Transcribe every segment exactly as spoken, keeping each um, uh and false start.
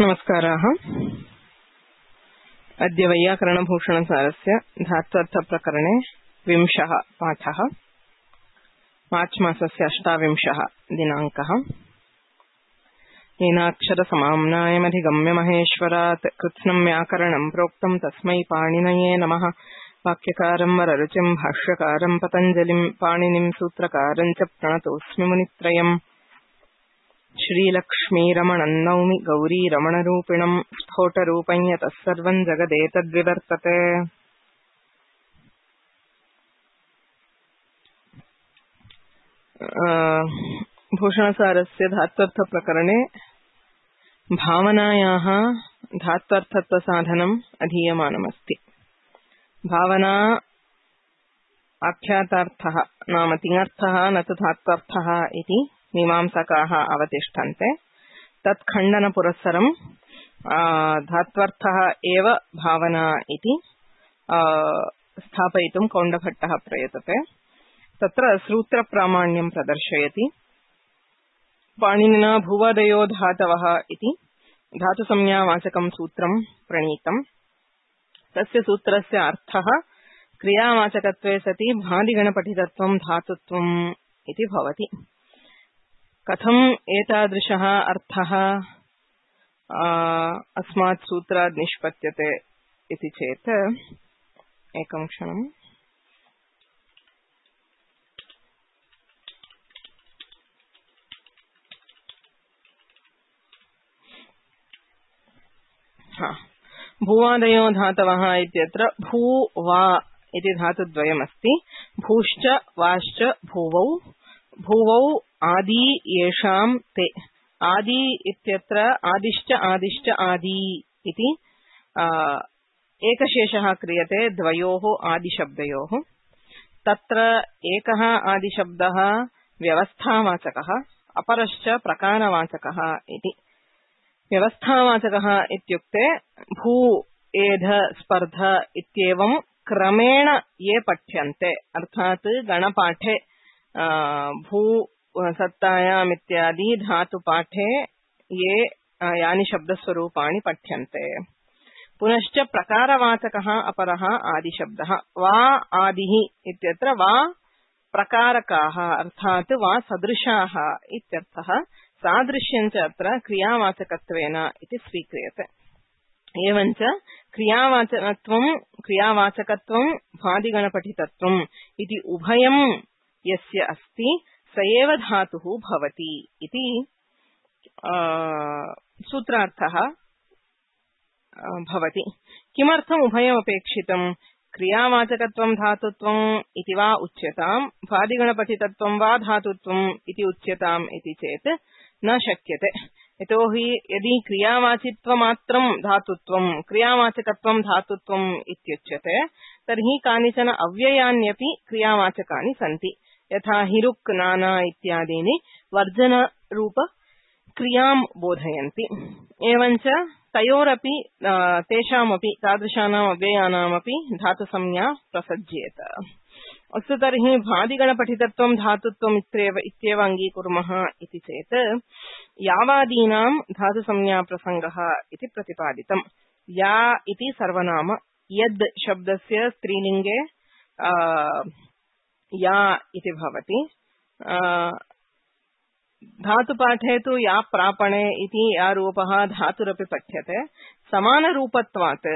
नमस्काराः। अद्य वैयाकरणभूषणसारस्य धात्वर्थप्रकरणे विंशः पाठः। मार्च मासस्य अष्टाविंशः दिनाङ्कः। येनाक्षरसमाम्नायमधिगम्य महेश्वरात् कृत्स्नं व्याकरणं प्रोक्तं तस्मै पाणिनये नमः। वाक्यकारं वररुचिं भाष्यकारं पतञ्जलिं पाणिनिं सूत्रकारं च प्रणतोऽस्मि मुनित्रयम्। श्रीलक्ष्मीरमणं नौमि गौरीरमणरूपिणं स्फोटरूपं यतः सर्वं जगदेतद्विवर्तते। भूषणसारस्य धात्वर्थप्रकरणे भावनायाः धात्वर्थत्वसाधनम् अधीयमानमस्ति। भावना आख्यातार्थः नाम तिङर्थः न तु धात्वर्थः इति मीमांसकाः अवतिष्ठन्ते। तत्खण्डनपुरस्सरं धात्वर्थः एव भावना इति स्थापयितुं कौण्डभट्टः प्रयतते। तत्र सूत्रप्रामाण्यं प्रदर्शयति। पाणिनिना भुवादयो धातवः इति धातुसंज्ञावाचकं सूत्रं प्रणीतम्। तस्य सूत्रस्य अर्थः क्रियावाचकत्वे सति भादिगणपठितत्वं धातुत्वम् इति भवति। कथम् एतादृशः अर्थः अस्मात् सूत्रात् निष्पद्यते इति चेत् एकं क्षणम्। भूवादयो धातवः इत्यत्र भू वा इति धातुद्वयमस्ति। भूश्च वाश्च भूवौ। भूवौ आदि येषां ते। आदि इत्यत्र आदिश्च आदिश्च आदि इति एकशेषः क्रियते द्वयोः आदिशब्दयोः। तत्र एकः आदिशब्दः व्यवस्थावाचकः, अपरश्च प्रकारवाचकः इति। व्यवस्थावाचकः इत्युक्ते भू एध स्पर्ध इत्येवं क्रमेण ये पठ्यन्ते, अर्थात् गणपाठे भू सत्तायाम् इत्यादि धातुपाठे ये यानि शब्दस्वरूपाणि पठ्यन्ते। पुनश्च प्रकारवाचकः अपरः आदिशब्दः। वा आदिः इत्यत्र वा प्रकारकाः अर्थात् वा सदृशाः इत्यर्थः। सादृश्यं च अत्र क्रियावाचकत्वेन इति स्वीक्रियते। एवञ्च क्रियावाचकत्वं क्रियावाचकत्वं भादिगणपठितत्वम् इति उभयं यस्य अस्ति स एव धातुः भवति इति सूत्रार्थः भवति। किमर्थम् उभयमपेक्षितम्? क्रियावाचकत्वं धातुत्वम् इति वा उच्यताम्, भादिगणपठितत्वं वा धातुत्वम् इति उच्यताम् इति चेत् न शक्यते। यतोहि यदि क्रियावाचित्वमात्रं धातुत्वं क्रियावाचकत्वं धातुत्वम् इत्युच्यते तर्हि कानिचन अव्ययान्यपि क्रियावाचकानि सन्ति। यथा हिरुक् नाना इत्यादीनि वर्जनरूप क्रियां बोधयन्ति। एवञ्च तयोरपि तेषामपि तादृशानाम् अव्ययानामपि धातुसंज्ञा प्रसज्येत। अस्तु, तर्हि भादिगणपठितत्वं धातुत्वम् इत्येव इत्येव अङ्गीकुर्मः इति चेत् यावादीनां धातुसंज्ञाप्रसङ्गः इति प्रतिपादितम्। या इति सर्वनाम। यद् शब्दस्य स्त्रीलिङ्गे या इति भवति। धातुपाठे तु या प्रापणे इति या रूपः धातुरपि पठ्यते। समानरूपत्वात्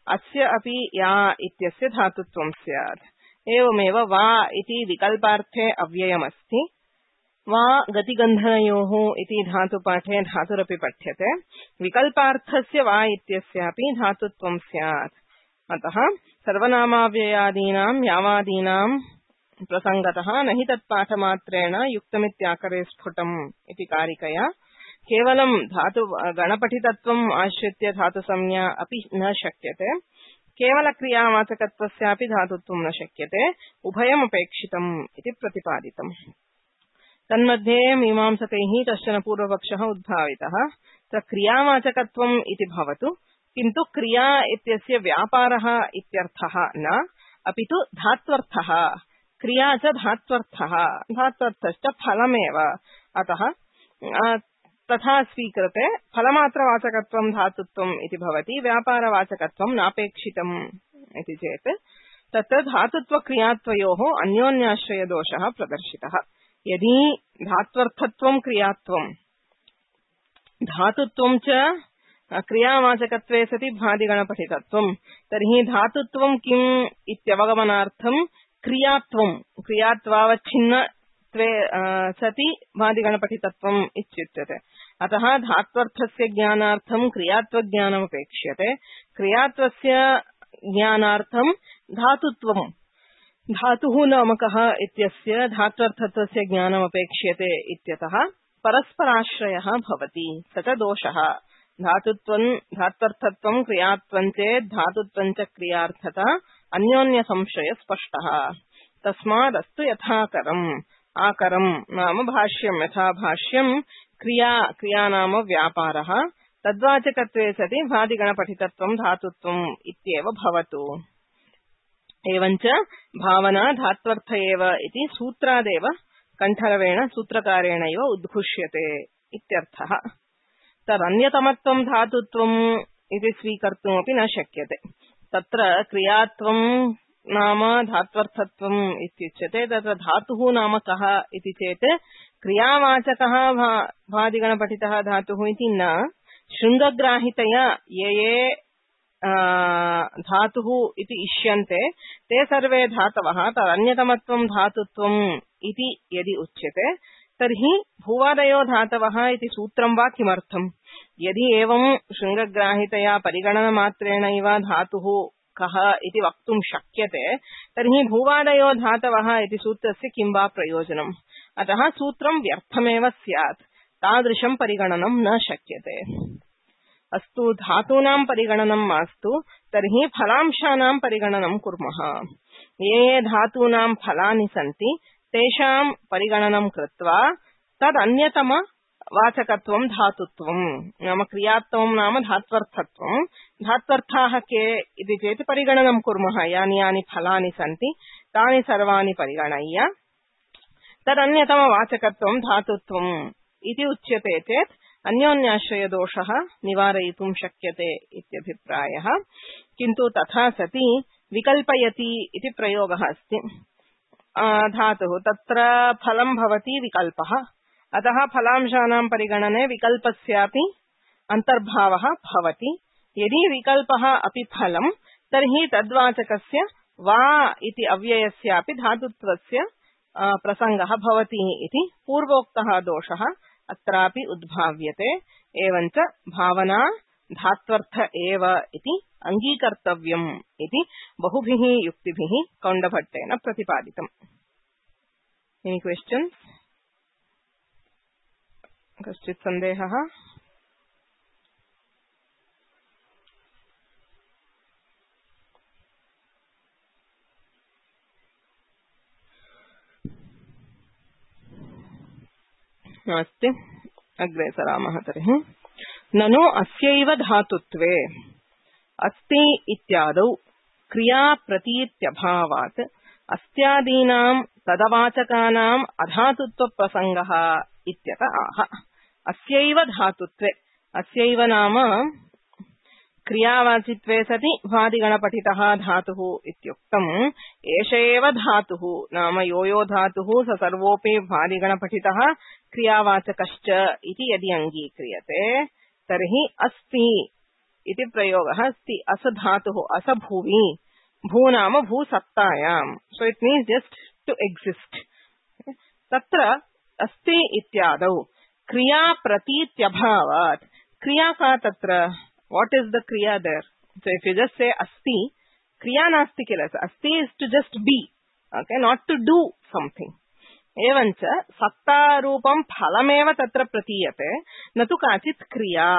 अस्य अपि या इत्यस्य धातुत्वं स्यात्। एवमेव वा इति विकल्पार्थे अव्ययमस्ति। वा गतिगन्धनयोः इति धातुपाठे धातुरपि पठ्यते। विकल्पार्थस्य वा इत्यस्यापि धातुत्वं स्यात्। अतः सर्वनामाव्ययादीनां यावादीनां प्रसङ्गतः न हि तत्पाठमात्रेण युक्तमित्याकरे स्फुटम् इति कारिकया केवलं धातु गणपठितत्वम् आश्रित्य धातुसंज्ञा अपि न शक्यते। केवलक्रियावाचकत्वस्यापि धातुत्वं न शक्यते। उभयमपेक्षितम् इति प्रतिपादितम्। तन्मध्ये मीमांसकैः कश्चन पूर्वपक्षः उद्भावितः। स क्रियावाचकत्वम् इति भवतु, किन्तु क्रिया इत्यस्य व्यापारः इत्यर्थः न, अपि तु धात्वर्थः क्रिया च धात्वर्थः धात्वर्थश्च फलमेव अतः तथा स्वीकृते फलमात्रवाचकत्वं धातुत्वम् इति भवति व्यापारवाचकत्वं नापेक्षितम् इति चेत् तत्र धातुत्वक्रियात्वयोः अन्योन्याश्रयदोषः प्रदर्शितः यदि धात्वर्थत्वं क्रियात्वं धातुत्वं च क्रियावाचकत्वे सति भादिगणपठितत्वं तर्हि धातुत्वं किम् इत्यवगमनार्थं क्रियात्वं क्रियात्वावच्छिन्नत्वे सति भादिगणपठितत्वम् इत्युच्यते अतः धात्वर्थस्य ज्ञानार्थं क्रियात्वज्ञानमपेक्ष्यते क्रियात्वस्य ज्ञानार्थं धातुत्वं धातुः नाम कः इत्यस्य धात्वर्थत्वस्य ज्ञानमपेक्ष्यते इत्यतः परस्पराश्रयः भवति स च दोषः धातुत्वं धात्वर्थत्वं क्रियात्वं चेत् धातुत्वं च क्रियार्थता अन्योन्य संशय स्पष्टः तस्मादस्तु यथाकरम् आकरम् नाम भाष्यं यथा भाष्यं क्रिया क्रिया नाम व्यापारः तद्वाचकत्वे सति भादिगणपठितत्वं धातुत्वम् इत्येव भवतु एवञ्च भावना धात्वर्थ एव इति सूत्रादेव कण्ठरवेण सूत्रकारेणैव उद्घुष्यते इत्यर्थः तदन्यतमत्वं धातुत्वम् इति स्वीकर्तुमपि न शक्यते तत्र क्रियात्वं नाम धात्वर्थत्वम् इत्युच्यते तत्र धातुः नाम कः इति चेत् क्रियावाचकः भादिगणपठितः धातुः इति न शृङ्गग्राहितया ये ये धातुः इति इष्यन्ते ते सर्वे धातवः तदन्यतमत्वं धातुत्वम् इति यदि उच्यते तर्हि भूवादयो धातवः इति सूत्रं वा किमर्थम् यदि एवं शृङ्गग्राहितया परिगणनमात्रेणैव धातुः कः इति वक्तुं शक्यते तर्हि भूवादयो धातवः इति सूत्रस्य किं वा प्रयोजनम् अतः सूत्रं व्यर्थमेव स्यात् तादृशं परिगणनं न शक्यते अस्तु धातूनां परिगणनं मास्तु तर्हि फलांशानां परिगणनं कुर्मः ये ये धातूनां फलानि सन्ति तेषां परिगणनं कृत्वा तदन्यतम वाचकत्वं धातुत्वं नाम क्रियात्वं नाम धात्वर्थत्वं धात्वर्थाः के इति चेत् परिगणनं कुर्मः यानि यानि फलानि सन्ति तानि सर्वाणि परिगणय्य तदन्यतम वाचकत्वं धातुत्वम् इति उच्यते चेत् अन्योन्याश्रयदोषः निवारयितुं शक्यते इत्यभिप्रायः किन्तु तथा सति विकल्पयति इति प्रयोगः अस्ति धातुः तत्र फलं भवति विकल्पः अतः फलांशानां परिगणने विकल्पस्यापि अन्तर्भावः भवति यदि विकल्पः अपि फलं तर्हि तद्वाचकस्य वा इति अव्ययस्यापि धातुत्वस्य प्रसङ्गः भवति इति पूर्वोक्तः दोषः अत्रापि उद्भाव्यते एवञ्च भावना धात्वर्थ एव इति अंगीकर्तव्यम् इति बहुभिः युक्तिभिः कौण्डभट्टेन प्रतिपादितम् एनी क्वेश्चन्स् कश्चित् सन्देहः नास्ति अग्रे सरामः तर्हि ननु अस्यैव धातुत्वे अस्ति इत्यादौ क्रिया प्रतीत्यभावात् अस्त्यादीनां तदवाचकानाम् अधातुत्व प्रसङ्गः इत्यत आह अस्यैव धातुत्वे अस्यैव नाम क्रियावाचित्वे सति भादिगणपठितः धातुः इत्युक्तम् एष एव धातुः नाम यो यो धातुः स सर्वोऽपि भादिगणपठितः क्रियावाचकश्च इति यदि अङ्गीक्रियते तर्हि अस्ति इति प्रयोगः अस्ति अस धातुः अस भुवि भू नाम भूसत्तायाम् so it means just to exist तत्र अस्ति इत्यादौ क्रिया प्रतीत्यभावात् क्रिया का तत्र what is the kriya there so if you just say asti kriya nasti kila asti is to just be okay not to do something evancha satta roopam phalameva tatra pratiyate natu kachit kriya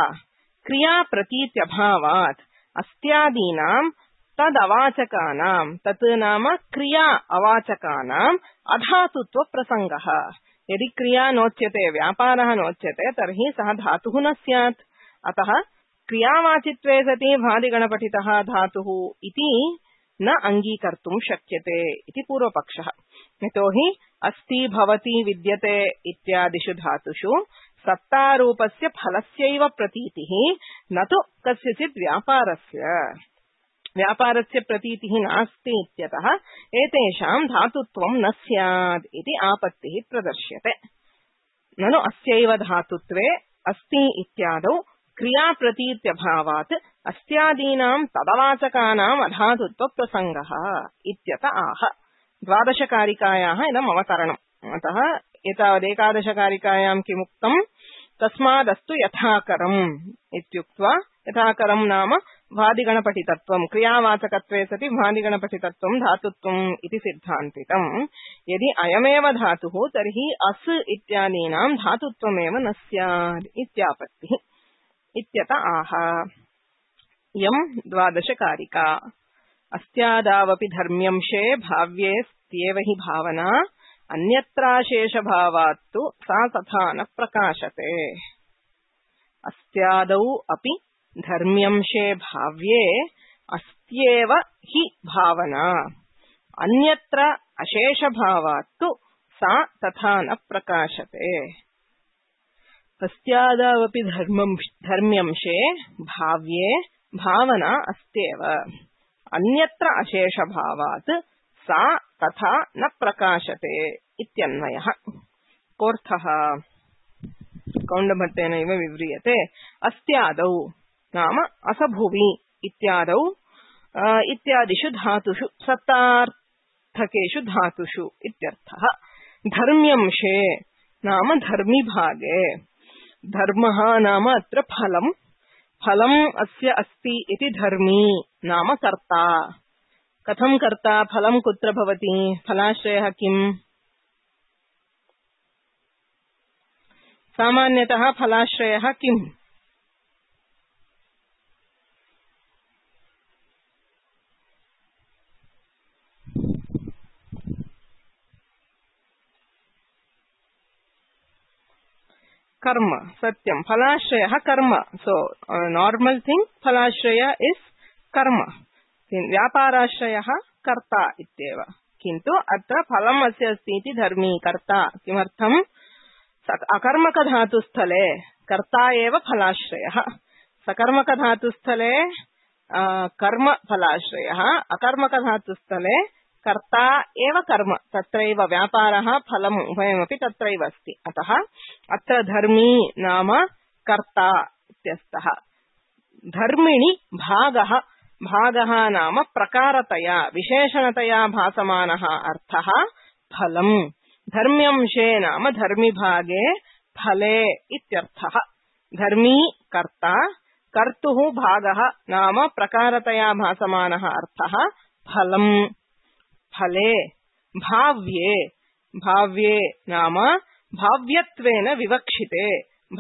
kriya pratityabhavat astyadinam tad avachakanam tat nama kriya avachakanam adhatutva prasangah यदि क्रिया नोच्यते व्यापारः नोच्यते तर्हि सः धातुः न स्यात् अतः क्रियावाचित्वे सति भादिगणपठितः धातुः इति न अङ्गीकर्तुं शक्यते इति पूर्वपक्षः यतोहि अस्ति भवति विद्यते इत्यादिषु धातुषु सत्तारूपस्य फलस्यैव प्रतीतिः न तु कस्यचित् व्यापारस्य व्यापारस्य प्रतीतिः नास्ति इत्यतः एतेषां धातुत्वं न स्यात् इति आपत्तिः प्रदर्श्यते। ननु अस्यैव धातुत्वे अस्ति इत्यादौ क्रियाप्रतीत्यभावात् अस्त्यादीनां तदवाचकानाम् अधातुत्व प्रसङ्गः इत्यत आह। द्वादशकारिकायाः इदम् अवतरणम्। अतः एतावदेकादशकारिकायां किमुक्तम् तस्मादस्तु यथाकरम् इत्युक्त्वा यथाकरम् नाम भादिगणपठितत्वम् क्रियावाचकत्वे सति भादिगणपठितत्वम् धातुत्वम् इति सिद्धान्तितम्। यदि अयमेव धातुः तर्हि अस् इत्यादीनां धातुत्वमेव न स्यात् इत्यापत्तिः इत्यत आह। यम् द्वादशकारिका। अस्त्यादावपि धर्म्यंशे भाव्ये स्त्येव हि भावना अन्यत्राशेषभावात्तु सा तथा न प्रकाशते। अस्त्यादौ अपि धर्म्यंशे भाव्ये अस्त्येव हि भावना अन्यत्र अशेषभावात्तु सा तथा न प्रकाशते। अस्त्यादावपि धर्म्यंशे भाव्ये भावना अस्त्येव अन्यत्र अशेषभावात् सा तथा न प्रकाशते इत्यन्वयः। कोऽर्थः कौण्डभट्टेनैव विव्रियते। अस्त्यादौ नाम असभुवि इत्यादौ इत्यादिषु धातुषु सत्तार्थकेषु धातुषु इत्यर्थः। धर्म्यंशे नाम धर्मिभागे। धर्मः नाम अत्र फलम्। फलम् अस्य अस्ति इति धर्मी नाम कर्ता। कथं कर्ता फलं कुत्र भवति फलाश्रयः किम्? सामान्यतः फलाश्रयः किम्? कर्म। सत्यं फलाश्रयः कर्म। सो नॉर्मल थिंग फलाश्रय इज कर्म। व्यापाराश्रयः कर्ता इत्येव। किन्तु अत्र फलम् अस्य अस्ति इति धर्मी कर्ता। किमर्थम्? अकर्मकधातुस्थले कर्ता एव फलाश्रयः। सकर्मकधातुस्थले कर्म फलाश्रयः। अकर्मकधातुस्थले कर्ता एव कर्म। तत्रैव व्यापारः फलम् उभयमपि तत्रैव अस्ति। अतः अत्र धर्मी नाम कर्ता इत्यस्तः। धर्मिणि भागः। भागः नाम प्रकारतया विशेषणतया भासमानः अर्थः फलम्। धर्म्यंशे नाम धर्मिभागे फले इत्यर्थः। धर्मी कर्ता कर्तुः भागः नाम प्रकारतया भासमानः अर्थः फलम्। फले भाव्ये। भाव्ये नाम भाव्यत्वेन विवक्षिते।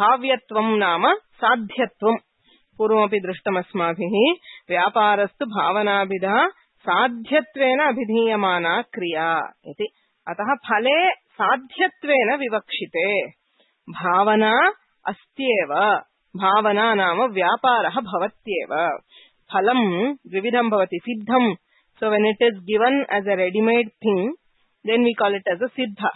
भाव्यत्वं नाम साध्यत्वम्। पूर्वमपि दृष्टमस्माभिः। व्यापारस्तु भावनाभिधा साध्यत्वेन अभिधीयमाना क्रिया इति। अतः फले साध्यत्वेन विवक्षिते। भावना अस्त्येव। भावना नाम व्यापारः भवत्येव। फलं द्विविधं भवति। सिद्धं। So when it is given as a ready-made thing, then we call it as a siddha.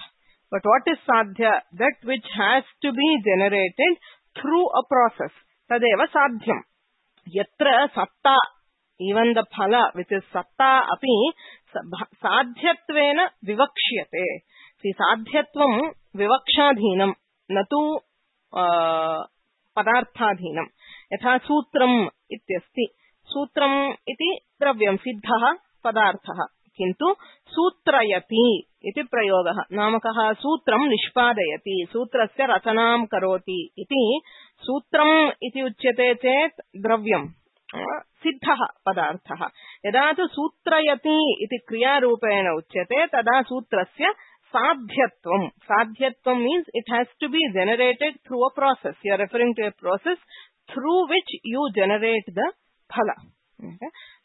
But what is sadhya? That which has to be generated through a process. Tadeva sadhyam. Yatra satta, even the phala which is satta api sadhyatvena vivakshyate. See, sadhyatvam vivakshadhinam natu uh, padarthadhinam. Yatha sutram ityasti. Sutram iti द्रव्यं सिद्धः पदार्थः। किन्तु सूत्रयति इति प्रयोगः। नामकः सूत्रं निष्पादयति। सूत्रस्य रचनां करोति इति सूत्रम् इति उच्यते चेत् द्रव्यं सिद्धः पदार्थः। यदा तु सूत्रयति इति क्रियारूपेण उच्यते तदा सूत्रस्य साध्यत्वं। साध्यत्वं means it has to be generated through a process. You are referring to a process through which you generate the फल।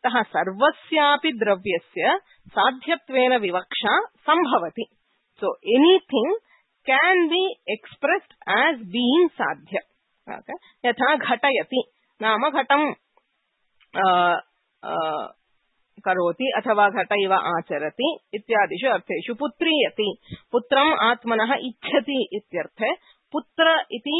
तः सर्वस्यापि द्रव्यस्य साध्यत्वेन विवक्षा संभवति। So anything can be expressed as being साध्य। यथा घटयति नाम घटं करोति अथवा घट इव आचरति इत्यादिषु अर्थेषु पुत्रीयति पुत्रम् आत्मनः इच्छति इत्यर्थे पुत्र इति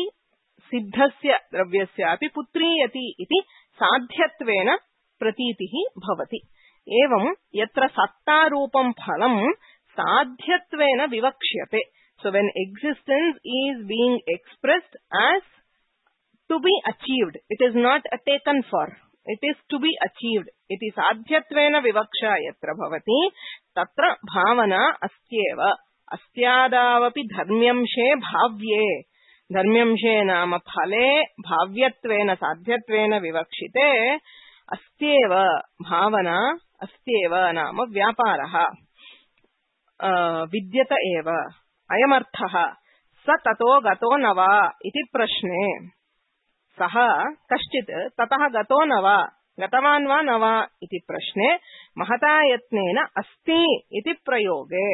सिद्धस्य द्रव्यस्यापि पुत्रीयति इति साध्यत्वेन प्रतीतिः भवति। एवं यत्र सत्तारूपं फलं साध्यत्वेन विवक्ष्यते। So when existence is being expressed as to be achieved, it is not a taken for, it is to be achieved. Iti sadhyatvena vivaksha yatra bhavati tatra bhavana astyeva astyadavapi dharmyamshe bhavye dharmyamshe nama phale bhavyattvena sadhyatvena vivakshite astyeva bhavana astyeva nama vyaparaha vidyata eva अयमर्थः स ततो गतो न वा इति प्रश्ने सः कश्चित् ततः गतो न वा गतवान् वा न वा इति प्रश्ने महता यत्नेन अस्ति इति प्रयोगे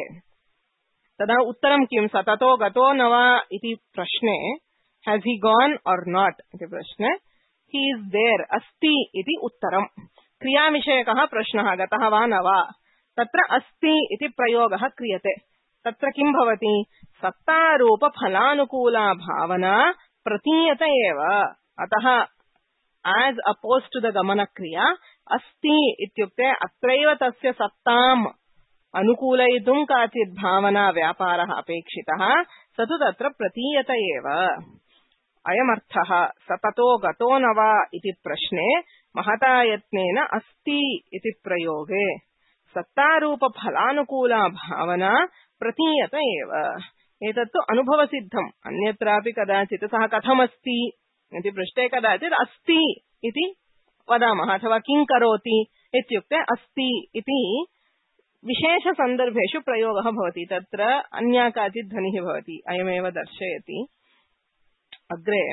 तदा उत्तरं किं स ततो गतो न वा इति प्रश्ने हैज ही गॉन और नॉट इति प्रश्ने ही इज देयर अस्ति इति उत्तरं क्रियाविषयकः प्रश्नः गतः वा न वा तत्र अस्ति इति प्रयोगः क्रियते तत्र किं भवति सत्तारूप फलानुकूला भावना प्रतीयत एव अतः as opposed to the गमन क्रिया अस्ति इत्युक्ते अत्रैव तस्य सत्ताम् अनुकूलयितुं काचित् भावना व्यापारः अपेक्षितः स तु तत्र प्रतीयत एव अयमर्थः स ततो गतो न वा इति प्रश्ने महता यत्नेन अस्ति इति प्रयोगे सत्तारूप फलानुकूला भावना प्रतीयत एव एतत्तु अनुभवसिद्धम् अन्यत्रापि कदाचित् सः कथमस्ति इति पृष्टे कदाचित् अस्ति इति वदामः अथवा किं करोति इत्युक्ते अस्ति इति विशेषसन्दर्भेषु प्रयोगः भवति तत्र अन्या काचित् ध्वनिः भवति अयमेव दर्शयति अग्रे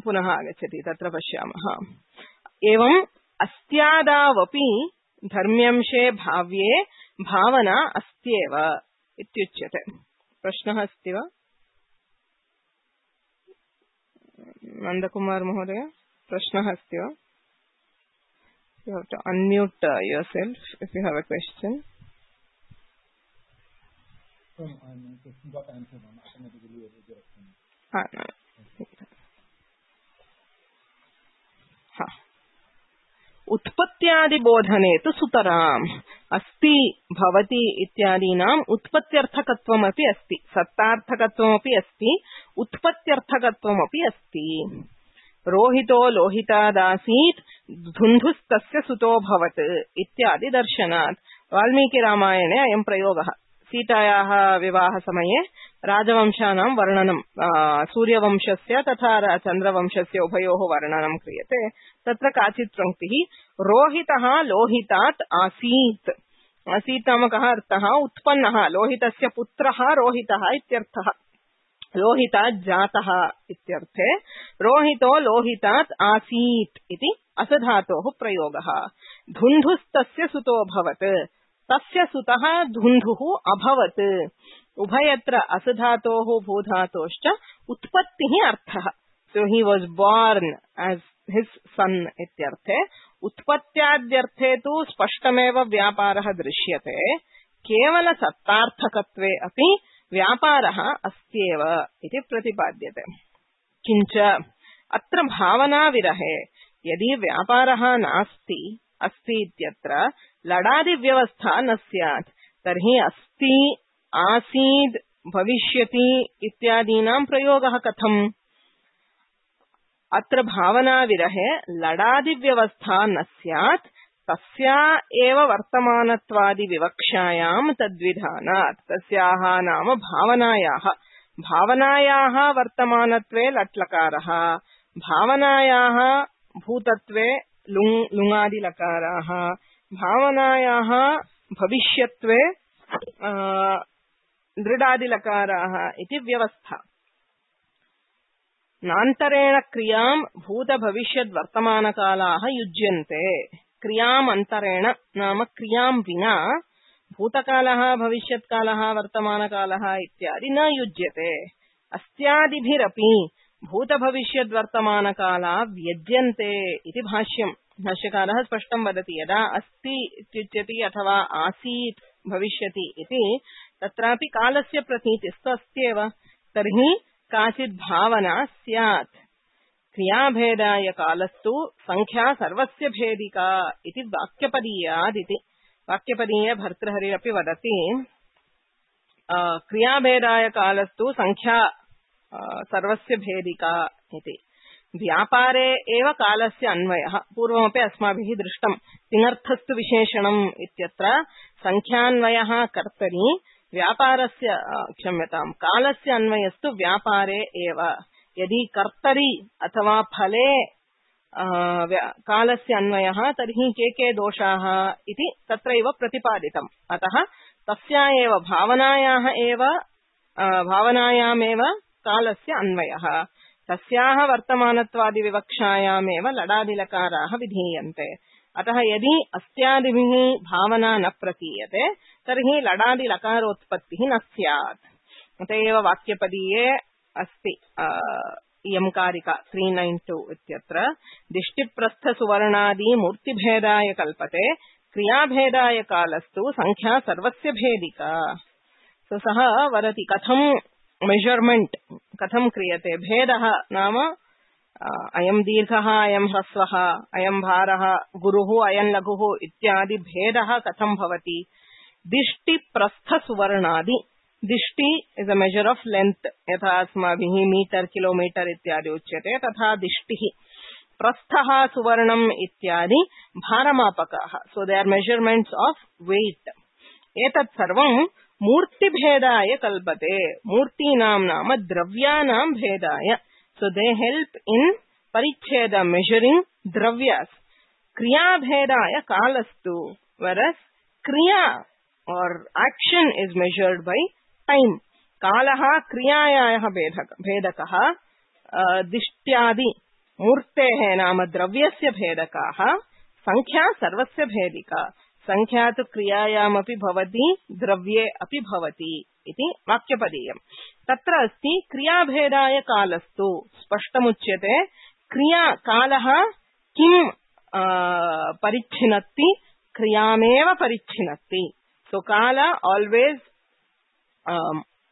पुनः आगच्छति तत्र पश्यामः एवम् अस्त्यादावपि धर्म्यंशे भाव्ये भावना अस्त्येव इत्युच्यते प्रश्नः अस्ति वा नंदकुमार महोदय प्रश्नः अस्ति वा you have to unmute uh, yourself if you have a question so I'm question got answered on automatically ha no ha उत्पत्त्यादि बोधने तु सुतराम् अस्ति भवति इत्यादीनाम् उत्पत्त्यर्थकत्वमपि अस्ति सत्तार्थकत्वमपि अस्ति उत्पत्त्यर्थकत्वमपि अस्ति रोहितो लोहितादासीत् धुन्धुस्तस्य सुतोऽभवत् इत्यादि दर्शनात् वाल्मीकिरामायणे अयं प्रयोगः सीतायाः विवाहसमये राजवंशानां वर्णनं सूर्यवंशस्य तथा चन्द्रवंशस्य उभयोः वर्णनं क्रियते तत्र काचित् पंक्तिः रोहितः लोहितात् आसीत् आसीत् नाम कः अर्थः उत्पन्नः लोहितस्य पुत्रः रोहितः इत्यर्थः लोहितात् जातः इत्यर्थे रोहितो लोहितात् आसीत् इति असधातोः प्रयोगः धुन्धुस्तस्य सुतोऽभवत् तस्य सुतः धुन्धुः अभवत् उभयत्र असधातोः भूधातोश्च उत्पत्तिः अर्थः so he was born as his son इत्यर्थे उत्पत्त्याद्यर्थे तु स्पष्टमेव व्यापारः दृश्यते केवल सत्तार्थकत्वे अपि व्यापारः अस्त्येव इति प्रतिपाद्यते किञ्च अत्र भावना विरहे यदि व्यापारः नास्ति अस्ति इत्यत्र लडादि व्यवस्था न स्यात् तर्हि अस्ति आसीद् भविष्यति इत्यादीनां प्रयोगः कथम् अत्र भावना विरहे लडादि व्यवस्था न स्यात् तस्या एव वर्तमानत्वादि विवक्षायां तद्विधानात् तस्याः नाम भावनायाः भावनायाः वर्तमानत्वे लट्लकारः भावनायाः भूतत्वे लुङ् लुङादि लकाराः भावनायाः भविष्यत्वे दृढादि लकाराः इति व्यवस्था नान्तरेण क्रियां भूत भविष्यद् वर्तमानकालाः युज्यन्ते क्रियाम् अन्तरेण नाम क्रियां विना भूतकालः भविष्यत्कालः वर्तमानकालः इत्यादि न युज्यते अस्त्यादिभिरपि भूत भविष्यद् वर्तमानकाला व्यज्यन्ते इति भाष्यम् भाष्यकारः स्पष्टं वदति यदा अस्ति इत्युच्यते अथवा आसीत् भविष्यति इति तत्रापि कालस्य प्रतीतिस्तु अस्त्येव तर्हि काचित् भावना स्यात् क्रियाभेदाय कालस्तु संख्या सर्वस्य भेदिका इति वाक्यपदीयादिति वाक्यपदीय भर्तृहरिरपि वदति क्रियाभेदाय कालस्तु संख्या सर्वस्य भेदिका इति व्यापारे एव कालस्य अन्वयः पूर्वमपि अस्माभिः दृष्टं तिङर्थस्तु विशेषणम् इत्यत्र संख्यान्वयः कर्तरि व्यापारस्य क्षम्यतां कालस्य अन्वयस्तु व्यापारे एव यदि कर्तरि अथवा फले कालस्य अन्वयः तर्हि के के दोषाः इति तत्रैव प्रतिपादितम् अतः तस्या एव भावनायाः एव भावनायामेव कालस्य अन्वयः तस्याः वर्तमानत्वादिविवक्षायामेव लडादिलकाराः विधीयन्ते अतः यदि अस्त्यादिभिः भावना न प्रतीयते तर्हि लडादिलकारोत्पत्तिः न स्यात् अत एव वाक्यपदीये अस्ति इयं कारिका त्रि नैन् टु इत्यत्र दिष्टिप्रस्थसुवर्णादि मूर्तिभेदाय कल्पते क्रियाभेदाय कालस्तु संख्या सर्वस्य भेदिका सः वदति कथं मेजरमेंट कथं क्रियते भेदः नाम अयं दीर्घः अयं ह्रस्वः अयं भारः गुरुः अयं लघुः इत्यादि भेदः कथं भवति दिष्टि प्रस्थ सुवर्णादि दिष्टि is a measure of length यथा अस्माभिः मीटर किलोमीटर इत्यादि उच्यते तथा दिष्टिः प्रस्थः सुवर्णम् इत्यादि भारमापकाः so they are measurements of weight एतत् सर्वं मूर्तिभेदाय कल्पते मूर्तीनां नाम द्रव्यानां भेदाय सो दे हेल्प इन परिच्छेद मेजरिंग द्रव्यास् क्रियाभेदाय कालस्तु whereas क्रिया और action is measured by time कालः क्रियायाः भेदकः दिष्ट्यादि मूर्तेः नाम द्रव्यस्य भेदकाः संख्या सर्वस्य भेदिका संख्या तु क्रियायामपि भवति द्रव्ये अपि भवति इति वाक्यपदीयम् तत्र अस्ति क्रियाभेदाय कालस्तु स्पष्टमुच्यते क्रिया कालः किं परिच्छिनत्ति क्रियामेव परिच्छिनत्ति सो काल always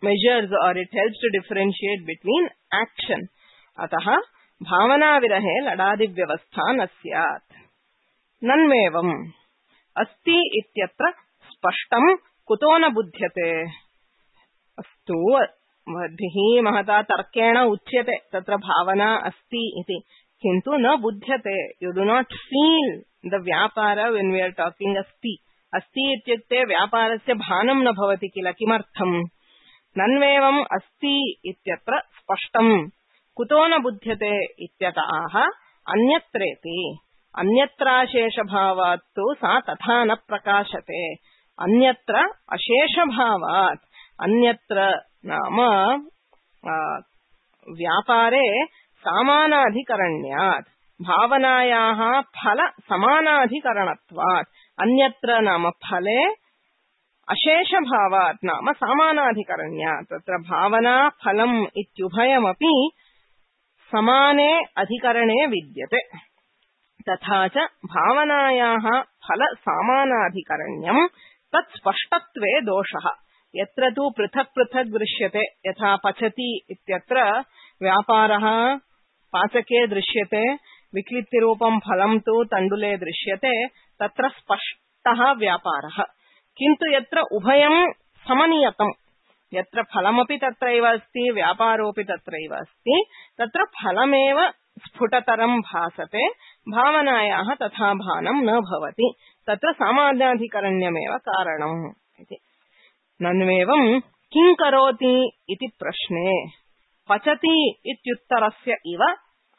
measures or it helps to differentiate between action अतः भावना विरहे लडादि व्यवस्था न स्यात् नन्वेवम् अस्ति इत्यत्र स्पष्टं कुतो न बुध्यते अस्तु मद्भिः महता तर्केण उच्यते तत्र भावना अस्ति इति किन्तु न बुध्यते you do not feel the व्यापार व्हेन वी आर टॉकिंग अस्ति अस्ति इत्युक्ते व्यापारस्य भानं न भवति किल किमर्थम् नन्वेवम् अस्ति इत्यत्र स्पष्टं कुतो न बुध्यते इत्यतः अन्यत्रेति अन्यत्राशेषभावात् तु सा तथा न प्रकाशते अन्यत्र अशेषभावात् अन्यत्र नाम व्यापारे सामानाधिकरण्यात् भावनायाः फल समानाधिकरणत्वात् अन्यत्र नाम फले अशेषभावात् नाम समानाधिकरण्यात् तत्र भावना फलम् इत्युभयमपि समाने अधिकरणे विद्यते तथा च भावनायाः फल समानाधिकरण्यम् तत् स्पष्टत्वे दोषः यत्र तु पृथक् पृथक् दृश्यते यथा पचति इत्यत्र व्यापारः पाचके दृश्यते विक्लित्तिरूपं फलं तु तण्डुले दृश्यते तत्र स्पष्टः व्यापारः किन्तु यत्र उभयं समनियतम् यत्र फलमपि तत्रैव अस्ति व्यापारोऽपि तत्रैव अस्ति तत्र फलमेव स्फुटतरं भासते भावनायाः तथा भानं न भवति तत्र सामान्याधिकरण्यमेव कारणम् इति नन्वेवं किं करोति इति प्रश्ने पचति इत्युत्तरस्य इव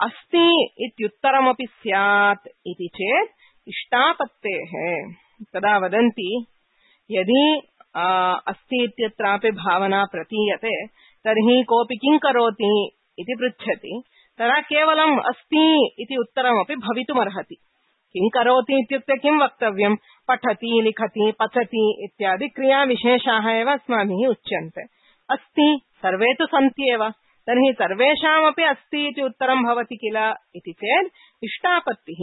अस्ति इत्युत्तरमपि स्यात् इति चेत् इष्टापत्तेः तदा वदन्ति यदि अस्ति इत्यत्रापि भावना प्रतीयते तर्हि कोऽपि किं करोति इति पृच्छति तदा केवलम् अस्ति इति उत्तरमपि भवितुमर्हति किं करोति इत्युक्ते किं वक्तव्यं पठति लिखति पचति इत्यादि क्रियाविशेषाः एव अस्माभिः उच्यन्ते अस्ति सर्वे तु सन्त्येव तर्हि सर्वेषामपि अस्ति इति उत्तरं भवति किल इति चेत् इष्टापत्तिः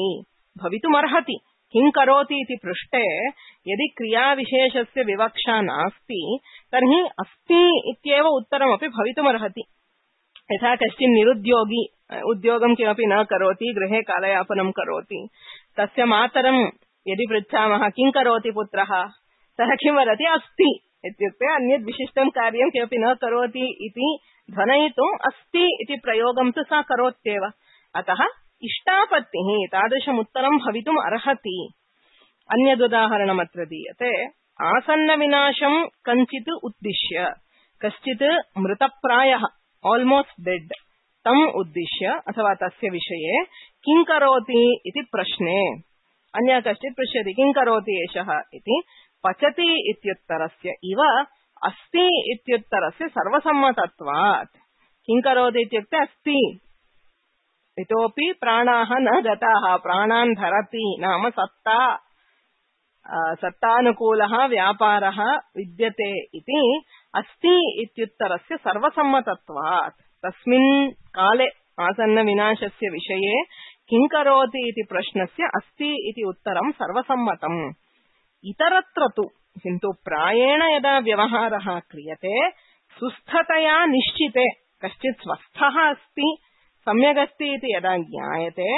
भवितुमर्हति किं करोति इति पृष्टे यदि क्रियाविशेषस्य विवक्षा नास्ति तर्हि अस्ति इत्येव उत्तरमपि भवितुमर्हति। यथा कश्चित् निरुद्योगी उद्योगं किमपि न करोति, गृहे कालयापनं करोति, तस्य मातरं यदि पृच्छामः किं करोति पुत्रः, सः किं वदति अस्ति इत्युक्ते अन्यत् विशिष्टं कार्यं किमपि न करोति इति ध्वनयितुम् अस्ति इति प्रयोगं तु सा करोत्येव। अतः इष्टापत्तिः तादृशम् उत्तरं भवितुम् अर्हति। अन्यदुदाहरणमत्र दीयते। आसन्नविनाशं कञ्चित् उद्दिश्य, कश्चित् मृतप्रायः ऑलमोस्ट डेड तम उद्दिश्य अथवा तस्य विषये किं करोति इति प्रश्ने अन्य कश्चित् पृच्छति किं करोति एषः इति पचति इत्युत्तरस्य इव अस्ति इत्युत्तरस्य सर्वसम्मतत्वात्। किं करोति इत्युक्ते अस्ति, इतोपि प्राणाः न गताः, प्राणान् धरति नाम सत्ता सत्तानुकूलः व्यापारः विद्यते इति अस्ति इत्युत्तरस्य सर्वसम्मतत्वात्। तस्मिन् काले आसन्न विनाशस्य विषये किं करोति इति प्रश्नस्य अस्ति इति उत्तरं सर्वसम्मतम्। इतरत्र तु किन्तु प्रायेण यदा व्यवहारः क्रियते सुस्थतया निश्चिते, कश्चित् स्वस्थः अस्ति सम्यगस्ति इति यदा ज्ञायते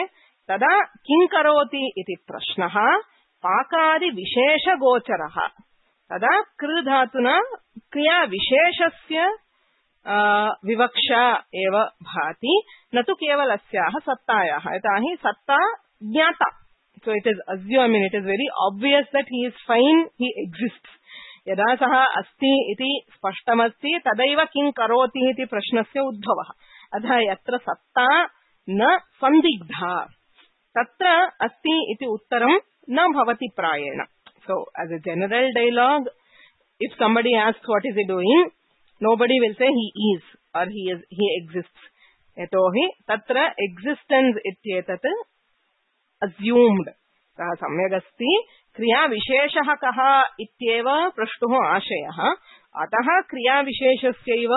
तदा किं करोति इति प्रश्नः पाकादि विशेषगोचरः। तदा कृ धातुना क्रिया विशेषस्य विवक्षा एव भाति, न तु केवलस्याः सत्तायाः। यथा हि सत्ता ज्ञाता, so it is assumed, I mean it is very obvious that he is fine, he exists. यदा सः अस्ति इति स्पष्टमस्ति तदैव किं करोति इति प्रश्नस्य उद्भवः। अतः यत्र सत्ता न संदिग्धा तत्र अस्ति इति उत्तरं न भवति प्रायेण। So as a general dialogue, if somebody asks what is he doing, nobody will say he is or he is he exists. यतोहि तत्र existence इत्येतत् assumed, सः सम्यगस्ति, क्रियाविशेषः कः इत्येव प्रष्टुः आशयः। अतः क्रियाविशेषस्यैव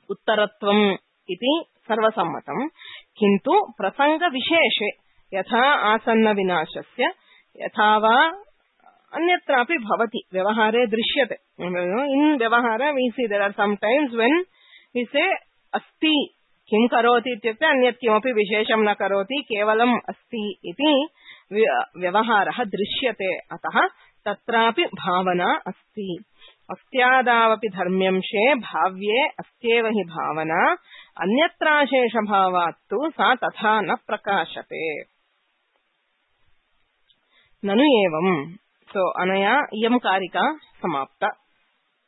उत्तरत्वम् इति सर्वसम्मतम्। किन्तु प्रसङ्गविशेषे यथा आसन्नविनाशस्य यथा वा अन्यत्रापि भवति, व्यवहारे दृश्यते। इन् व्यवहार we see there are sometimes when we say अस्ति, किं करोति इत्युक्ते अन्यत् किमपि विशेषं न करोति, केवलम् अस्ति इति व्यवहारः दृश्यते। अतः तत्रापि भावना अस्ति। अस्त्यादावपि धर्म्यंशे भाव्ये अस्त्येव हि भावना, अन्यत्राशेषभावात् तु सा तथा न प्रकाशते। ननु एवं, सो अनया इयं कारिका समाप्ता।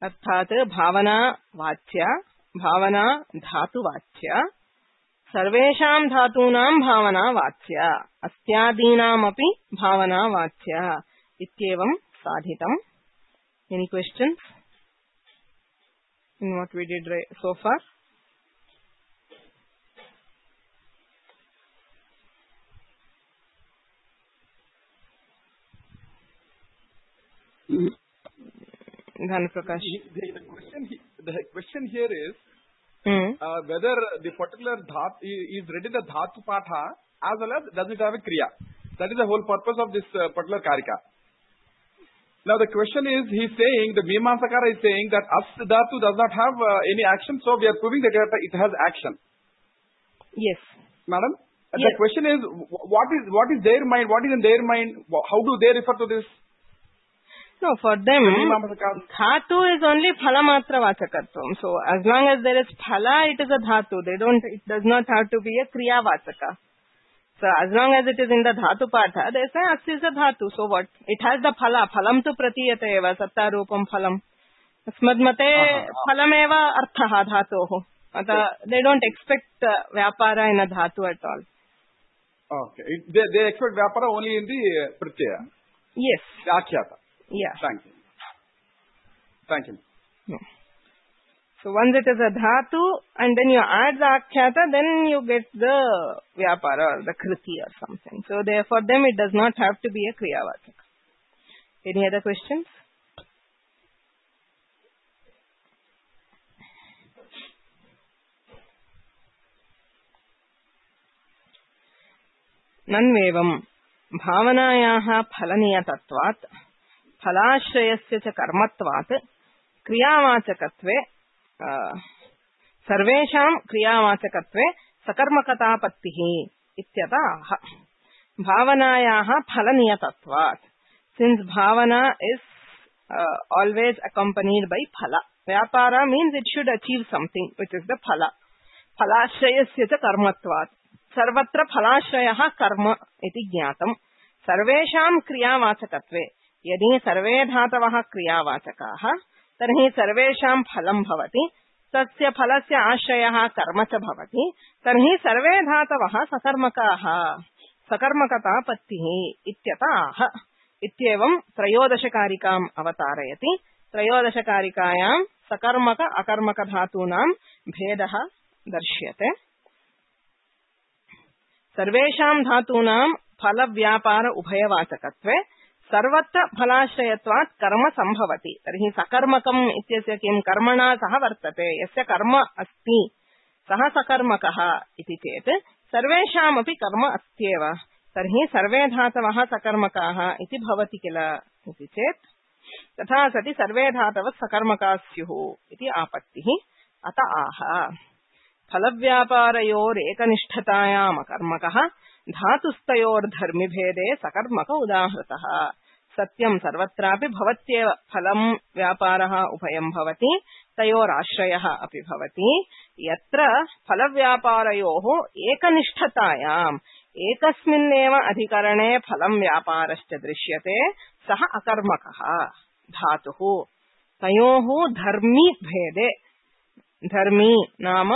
अर्थात् भावना वाच्या, भावना धातुवाच्या, सर्वेषां धातूनां भावना वाच्या, अस्त्यादीनामपि भावना वाच्या इत्येवं साधितम्। Any questions in what we did so far? Dhan Prakash. The, the question the question here is mm. uh, whether the particular dhat is read in the dhatu patha as well as does it have a kriya. That is the whole purpose of this uh, particular karika. Now the question is, he is saying, the Mimamsakara is saying that as dhatu does not have uh, any action, so we are proving that it has action. Yes. Madam? Yes. The question is, what is what is their mind? What is in their mind? How do they refer to this? No, for them, dhatu is only phalamatra vachakatvam. So as long as there is phala, it is a dhatu. They don't. It does not have to be a kriya vachaka. So as long as it is in the dhatu patha, they say asti is a dhatu. So what? It has the phala. Phalam tu pratiyate eva satta rupam phalam. Asmad mate phalam eva arthaha dhatoho. They don't expect uh, vyapara in a dhatu at all. Okay. It, they, they expect vyapara only in the uh, pratyaya. Yes. Akhyata. Yeah. Thank you. Thank you. No. So once it is a dhatu and then you add the akhyata, then you get the vyapara or the kriti or something. So there, for them it does not have to be a kriyavachaka. Any other questions? Nanvevam. भावनायाः फलनियतत्वात् फलाश्रयस्य च कर्मत्वात् क्रियावाचकत्वे सर्वेषां क्रियावाचकत्वे सकर्मकतापत्तिः इत्यतः भावनायाः फलनियतत्वात् since bhavana is uh, always accompanied by phala. Vyapara means it should achieve something, which is the phala. Phalashrayasya cha karmatvat. Sarvatra phalashrayah karma iti jnatam. Sarvesham kriyavachakatve. Yadi sarve dhatavah kriyavachakaah, tarhi sarvesham phalam bhavati. Tasya phalasya ashrayah karma cha bhavati. Tarhi sarve dhatavah sakarmakaah. Sakarmakata pattihi ityatah. इत्येवं त्रयोदशकारिकाम् अवतारयति. त्रयोदशकारिकायां सकर्मक अकर्मक धातूनां भेदः दर्श्यते. सर्वेषां धातूनां फलव्यापार उभयवाचकत्वे सर्वत्र फलाश्रयत्वात् कर्म संभवति. तर्हि सकर्मकम् इत्यस्य किं कर्मणा सह वर्तते, यस्य कर्म अस्ति सः सकर्मकः इति चेत् सर्वेषामपि कर्म अस्त्येव. तर्हि सर्वे धातवः सकर्मकाः इति भवति किल इति चेत् तथा सति सर्वे धातवः सकर्मकाः स्युः इति आपत्तिः. अत आह फलव्यापारयोरेकनिष्ठतायाम् अकर्मकः धातुस्तयोर्धर्मिभेदे सकर्मक उदाहृतः. सत्यं सर्वत्रापि भवत्येव फलं व्यापारः उभयं भवति, तयोराश्रयः अपि भवति. यत्र फलव्यापारयोः एकनिष्ठतायाम् एकस्मिन्नेव अधिकरणे फलं व्यापारश्च दृश्यते, सः अकर्मकः धातुः. तयोः धर्मी भेदे, धर्मी नाम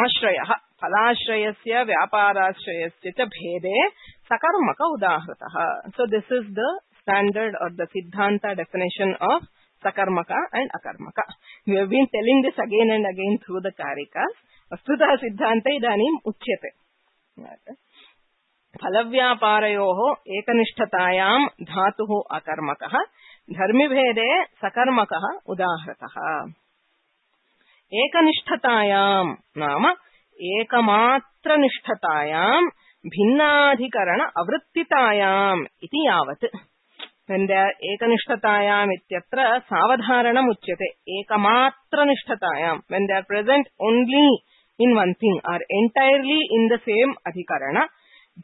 आश्रयः, फलाश्रयस्य व्यापाराश्रयस्य च भेदे सकर्मक उदाहृतः. So this is the standard or the siddhanta definition of sakarmaka and akarmaka. We have been telling this again and again through the karikas. Vastutah siddhanta idanim uchyate. फलव्यापारयोः एकनिष्ठतायां धातुः अकर्मकः धर्मिभेदे सकर्मकः उदाहृतः. एकनिष्ठतायां नाम एकमात्रनिष्ठतायां भिन्नाधिकरण अवृत्तितायाम् इति यावत्. When they are ekaniष्ठतायाम् इत्यत्र सावधारणम् उच्यते. एकमात्रनिष्ठतायां, when they are present only in one thing or entirely in the same adhikarana.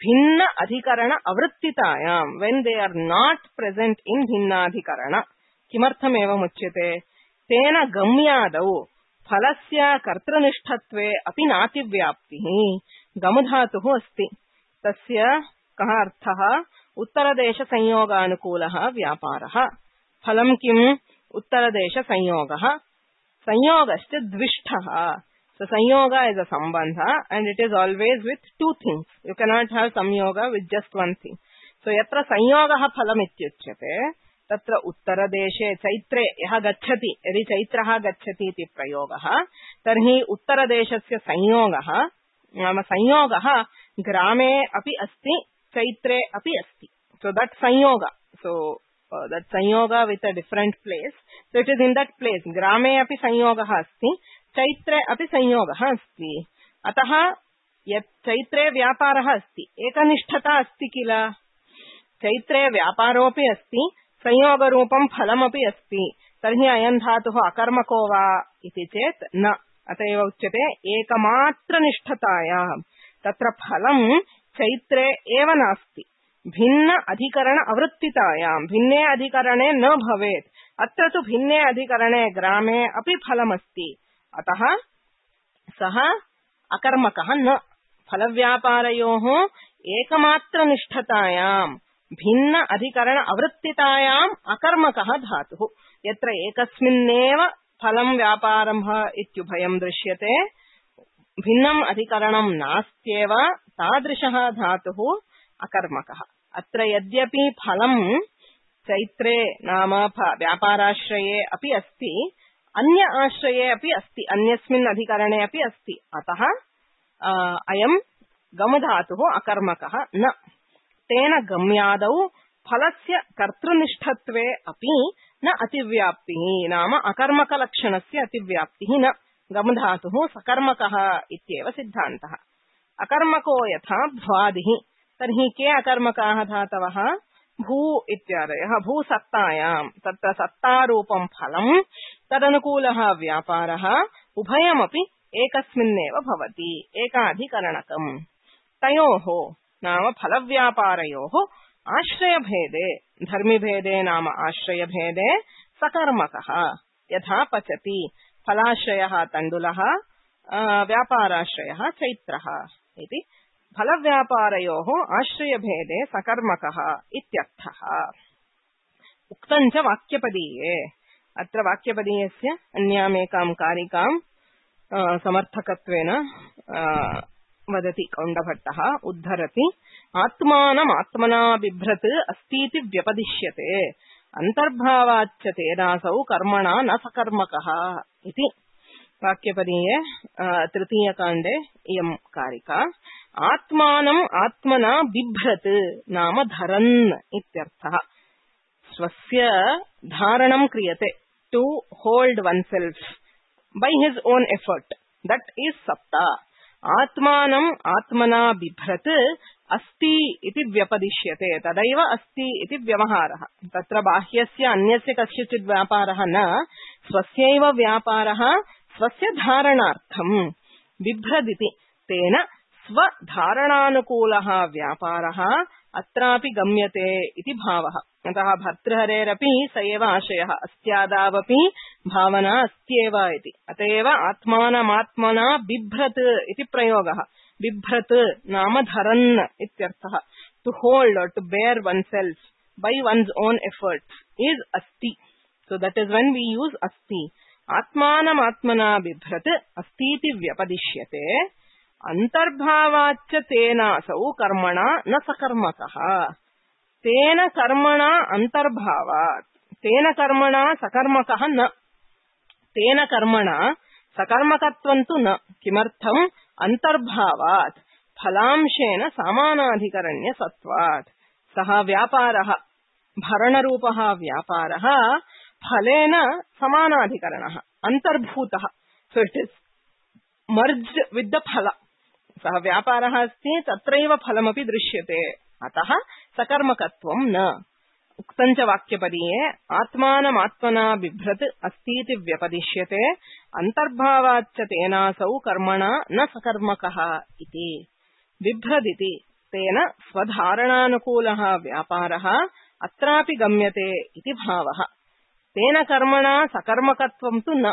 भिन्न अधिकरण अवृत्तितायां, when they are not present in भिन्नाधिकरण. किमर्थम् एवम् उच्यते? तेन गम्यादौ फलस्य कर्तृनिष्ठत्वे अपि नातिव्याप्तिः. गमधातुः अस्ति, तस्य कः अर्थः? उत्तरदेश संयोगानुकूलः व्यापारः. फलं किम्? उत्तरदेश संयोगः. संयोगश्च द्विष्ठः. So sanyoga is a sambandha and it is always with two things. You cannot have samyoga with just one thing. So yatra sanyogaha phalam ityuchyate tatra uttaradeshe chaitre yaha gacchati, yadi chaitraha gacchati iti prayogaha, tarhi uttaradeshasya sanyogaha nama sanyogaha grame api asti, chaitre api asti. So that sanyoga, so uh, that sanyoga with a different place, so it is in that place. Grame api sanyogaha asti, चैत्रे अपि संयोगः अस्ति. अतः यत् चैत्रे व्यापारः अस्ति, एकनिष्ठता अस्ति किल. चैत्रे व्यापारोऽपि अस्ति, संयोगरूपं फलमपि अस्ति. तर्हि अयं धातुः अकर्मको वा इति चेत् न. अत एव उच्यते एकमात्रनिष्ठतायां. तत्र फलं चैत्रे एव नास्ति, भिन्न अधिकरण अवृत्तितायां, भिन्ने अधिकरणे न भवेत्. अत्र तु भिन्ने अधिकरणे ग्रामे अपि फलमस्ति. अतः सः अकर्मकः न. फलव्यापारयोः एकमात्रनिष्ठतायां भिन्न अधिकरण अवृत्तितायाम् अकर्मकः धातुः. यत्र एकस्मिन्नेव फलं व्यापारं इत्युभयं दृश्यते, भिन्नम् अधिकरणं नास्त्येव, तादृशः धातुः अकर्मकः. अत्र यद्यपि फलं चैत्रे नाम व्यापाराश्रये अपि अस्ति, अन्य आश्रये अपि अस्ति, अन्यस्मिन् अधिकरणे अपि अस्ति. अतः अयं गमधातुः अकर्मकः न. तेन गम्यादौ फलस्य कर्तृनिष्ठत्वे अपि न अतिव्याप्तिः नाम अकर्मकलक्षणस्य अतिव्याप्तिः न. गमधातुः सकर्मकः इत्येव सिद्धान्तः. अकर्मको यथा भ्वादिः तर्हि के अकर्मकाः धातवः भू इत्यादयः भूसत्तायां तत्र सत्तारूपं फलं तदनुकूलः व्यापारः उभयमपि एकस्मिन्नेव भवति एकाधिकरणकम् तयोः नाम फलव्यापारयोः आश्रयभेदे धर्मिभेदे नाम आश्रयभेदे सकर्मकः यथा पचति फलाश्रयः तण्डुलः व्यापाराश्रयः चैत्रः इति फलव्यापारयोः आश्रयभेदे सकर्मकः इत्यर्थः उक्तं च वाक्यपदीये अत्र वाक्यपदीयस्य अन्यामेकां कारिकां समर्थकत्वेन वदति कौण्डभट्टः उद्धरति आत्मानमात्मना बिभ्रत् अस्तीति व्यपदिश्यते अन्तर्भावाच्च तेनासौ कर्मणा न सकर्मकः इति वाक्यपदीये तृतीयकाण्डे इयं कारिका आत्मानम् आत्मना बिभ्रत् नाम धरन् इत्यर्थः स्वस्य धारणं क्रियते to hold oneself by his own effort that is सत्ता आत्मानम् आत्मना बिभ्रत् अस्ति इति व्यपदिश्यते तदैव अस्ति इति व्यवहारः तत्र बाह्यस्य अन्यस्य कस्यचित् व्यापारः न स्वस्यैव व्यापारः स्वस्य धारणार्थं बिभ्रदिति तेन स्वधारणानुकूलः व्यापारः अत्रापि गम्यते इति भावः अतः भर्तृहरेरपि स एव आशयः अस्त्यादावपि भावना अस्त्येव इति अतएव आत्मानमात्मना बिभ्रत् इति प्रयोगः बिभ्रत् नाम धरन् इत्यर्थः टू होल्ड और to bear oneself by one's own efforts is asti so that is when we use asti आत्मानमात्मना बिभ्रत् अस्तीति व्यपदिश्यते अंतर्भावाच्च तेनासौ कर्मणा न सकर्मकः तेन कर्मणा अंतर्भावात् तेन कर्मणा सकर्मकः न तेन कर्मणा सकर्मकत्वं तु न किमर्थम् अंतर्भावात् फलांशेन समानाधिकरण्य सत्वात् सः व्यापारः भरणरूपः व्यापारः फलेन समानाधिकरणः अंतर्भूतः so it is merged with the फल सः व्यापारः अस्ति तत्रैव फलमपि दृश्यते अतः सकर्मकत्वं न उक्तं च वाक्यपदीये आत्मानमात्मना बिभ्रत् अस्तीति व्यपदिश्यते अंतर्भावाच्च तेनासौ कर्मणा न सकर्मकः इति बिभ्रदिति तेन स्वधारणानुकूलः व्यापारः अत्रापि गम्यते इति भावः तेन कर्मणा सकर्मकत्वं तु न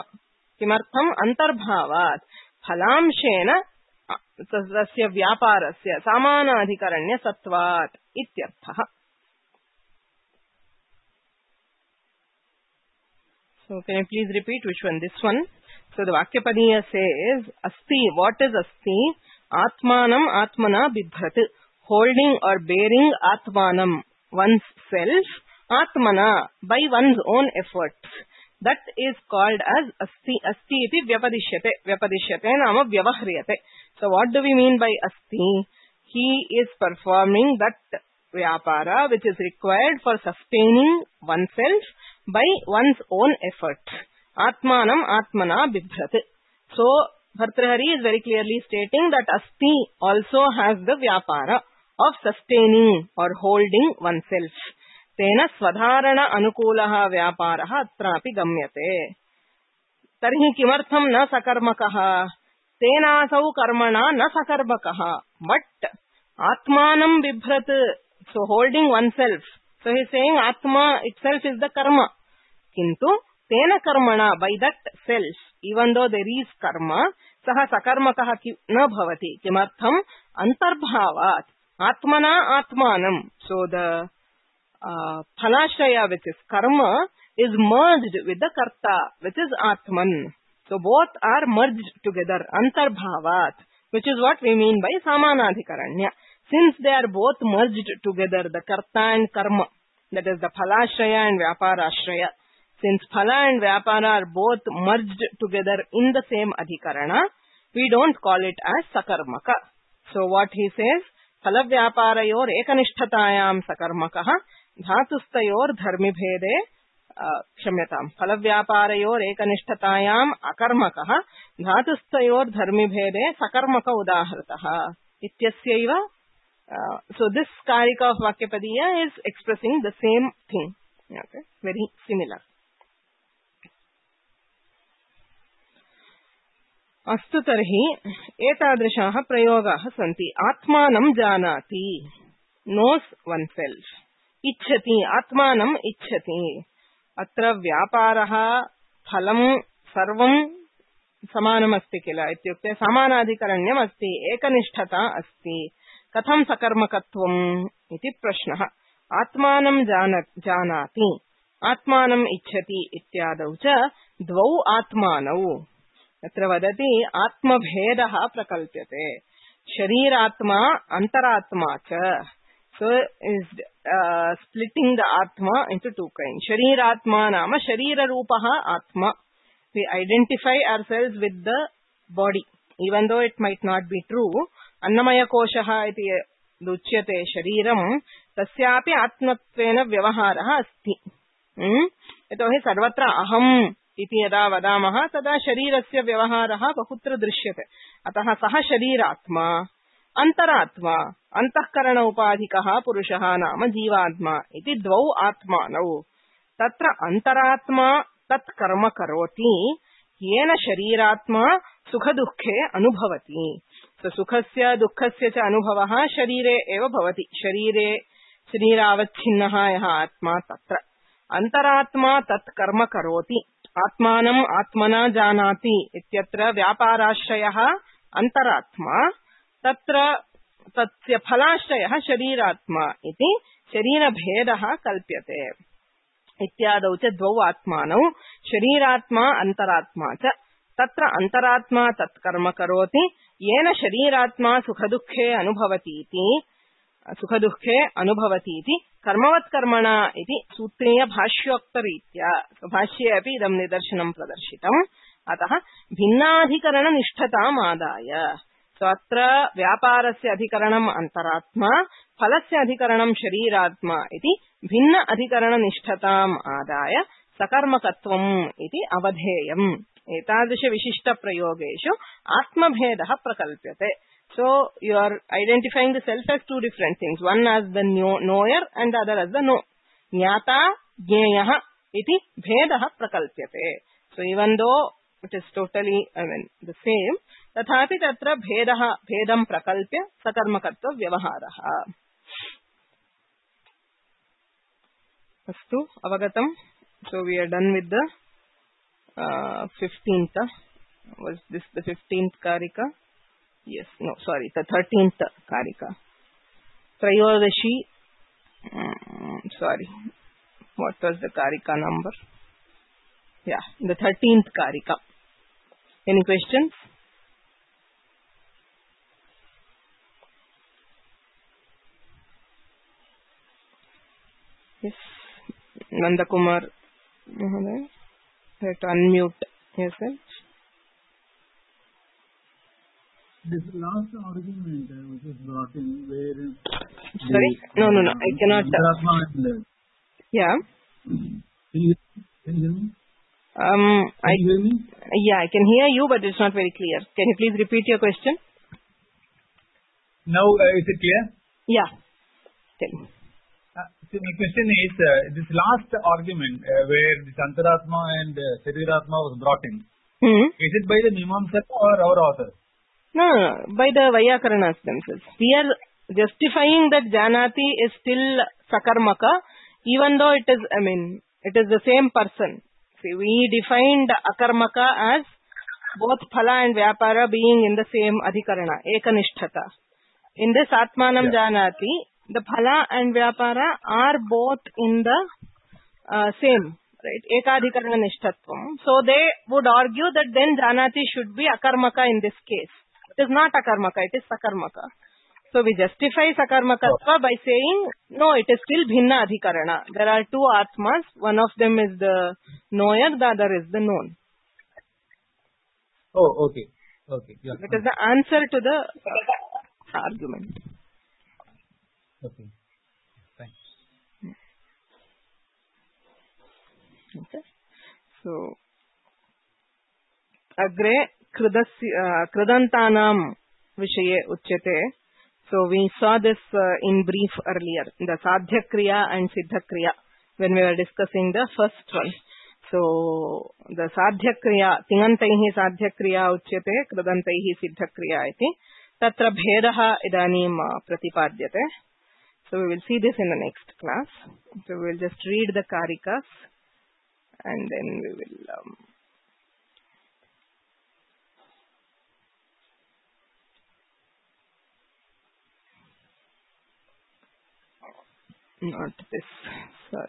किमर्थम् अंतर्भावात् फलांशेन तस्य व्यापारस्य समानाधिकरण्य सत्वात् इत्यर्थः So can you please repeat which one? This one. So the Vakyapadiya says, Asti, what is Asti? Atmanam Atmana Bibhrat. Holding or bearing Atmanam, one's self, Atmana, by one's own efforts. That is called as Asti. Asti iti Vyapadishyate. Vyapadishyate nama Vyavahriyate. So what do we mean by Asti? He is performing that Vyapara which is required for sustaining oneself by one's own effort. Atmanam Atmana Bibhrat. So, Bhartrahari is very clearly stating that Asti also has the Vyapara of sustaining or holding oneself. Tena Swadharana Anukulaha Vyaparaha Atrapi Gamyate. Tarhi Kimartham na Sakarmakaha. Tena Asau Karmana na Sakarmakaha. But Atmanam Bibhrat. So, holding oneself. So he is saying Atma itself is the karma. Kintu tena karmana, by that self, even though there is karma, saha sakarmakaha na bhavati. Kimartham antarbhavat. Atmana atmanam. So the uh, phalashraya which is karma is merged with the karta which is atman. So both are merged together. Antarbhavat. Which is what we mean by samanadhikaranya. Since they are both merged together, the karta and karma, that is the phalashraya and vyaparashraya, since phala and vyapara are both merged together in the same adhikarana, we don't call it as sakarmaka. So what he says, phala vyaparayor ekanishtatayam sakarmakaha, dhatustayor dharmibhede, kshamyatam, phala vyaparayor ekanishtatayam akarmakaha, dhatustayor dharmibhede sakarmaka udahrataha. Ityasya Uh, so this karika of Vakyapadiya is expressing the same thing. Okay, very similar. अस्तु तर्हि एतादृशाः प्रयोगाः सन्ति. आत्मानं जानाति, knows oneself. इच्छति, आत्मानं इच्छति. अत्र व्यापारः फलं सर्वं समानमस्ति किल इत्युक्ते समानाधिकरण्यम् अस्ति, एकनिष्ठता अस्ति. कथं सकर्मकत्वम् इति प्रश्नः. आत्मानं जानाति, आत्मानं इच्छति इत्यादौ च द्वौ आत्मानौ. अत्र वदति आत्मभेदः प्रकल्प्यते. शरीरात्मा अंतरात्मा च. So is uh, splitting the atma into two kinds. Shariratma nama sharira rupaha atma. We identify ourselves with the body, even though it might not be true. Annamaya koshaha iti luchyate shariram tasyapi atmatvena vyavaharah asti. Hmm? Yatohi sarvatra aham iti yada vadamaha tada sharirasya vyavaharah bahutra drishyate. Ataha saha shariratma अंतरात्मा अंतःकरण उपाधिकः पुरुषः नाम जीवात्मा इति द्वौ आत्मानौ. तत्र अंतरात्मा तत् कर्म करोति येन शरीरात्मा सुख दुःखे अनुभवति. सुखस्य दुःखस्य च अनुभवः शरीरे एव भवति. शरीरे शरीरावच्छिन्नः यः आत्मा तत्र अंतरात्मा तत् कर्म करोति. आत्मानं आत्मना जानाति इत्यत्र व्यापाराश्रयः अंतरात्मा, तत्र तस्य फलाश्रयः शरीरात्मा इति शरीरभेदः कल्प्यते. इत्यादौ च द्वौ आत्मानौ शरीरात्मा अंतरात्मा च. तत्र अंतरात्मा तत्कर्म करोति येन शरीरात्मा सुखदुःखे अनुभवतीति सुखदुःखे अनुभवतीति कर्मवत्कर्मणा इति सूत्रीय भाष्योक्तरीत्या. भाष्ये अपि इदं निदर्शनं प्रदर्शितम्. अतः भिन्नाधिकरण निष्ठताम् आदाय. So अत्र व्यापारस्य अधिकरणम् अंतरात्मा, फलस्य अधिकरणम् शरीरात्मा इति भिन्न अधिकरण निष्ठताम् आदाय सकर्मकत्वम् इति अवधेयम्. एतादृश विशिष्ट प्रयोगेषु आत्मभेदः प्रकल्प्यते. So you are identifying the self as two different things, one as the knower and the other as the know. ज्ञाता ज्ञेयः इति भेदः प्रकल्प्यते. So even though it is totally, I mean, the same, तथापि तत्र भेदः भेदं प्रकल्प्य सकर्मकत्व व्यवहारः. अस्तु, अवगतम्. So we are done with the uh, fifteenth. Was this the fifteenth karika? Yes, no, sorry, the thirteenth karika. Trayodashi, um, sorry, what was the karika number? Yeah, the thirteenth karika. Any questions? Yes, Nandakumar, you have to unmute yourself. This last argument uh, which is brought in where... Sorry? The, no, no, no, I cannot... Uh, yeah? Can you, can you hear me? Um, can I, you hear me? Yeah, I can hear you, but it's not very clear. Can you please repeat your question? Now, uh, is it clear? Yeah. Tell me. Uh, so my question is, uh, this last argument uh, where this Antaratma and uh, Shariratma was brought in, hmm? is it by the Mimamsaka or our author? No, no, no, by the Vyakarnas themselves. We are justifying that Janati is still Sakarmaka, even though it is, I mean, it is the same person. See, we defined Akarmaka as both Phala and Vyapara being in the same Adhikarana, Ekanishtata. In this Atmanam yeah. Janati, the Phala and Vyapara are both in the uh, same, right, Ekadhikarana Nishthatvam. So they would argue that then Janati should be Akarmaka in this case. It is not Akarmaka, it is Sakarmaka. So we justify Sakarmakatva by saying, no, it is still Bhinna Adhikarana. There are two Atmas, one of them is the knower, the other is the known. Oh, okay. Okay. Yeah. It is the answer to the uh, argument. Okay. Thanks. Okay. So, Agre Kridantanam Vishaye Uchyate. So we saw this uh, in brief earlier, the Sadhya Kriya and Siddha Kriya, when we were discussing the first one. So the Sadhya Kriya, Tingantaihi Sadhya Kriya uchyate, Kradantaihi Siddha Kriya iti, tatra bhedaha idanim pratipadyate. So we will see this in the next class. So we will just read the Karikas and then we will... Um, Not this, sorry.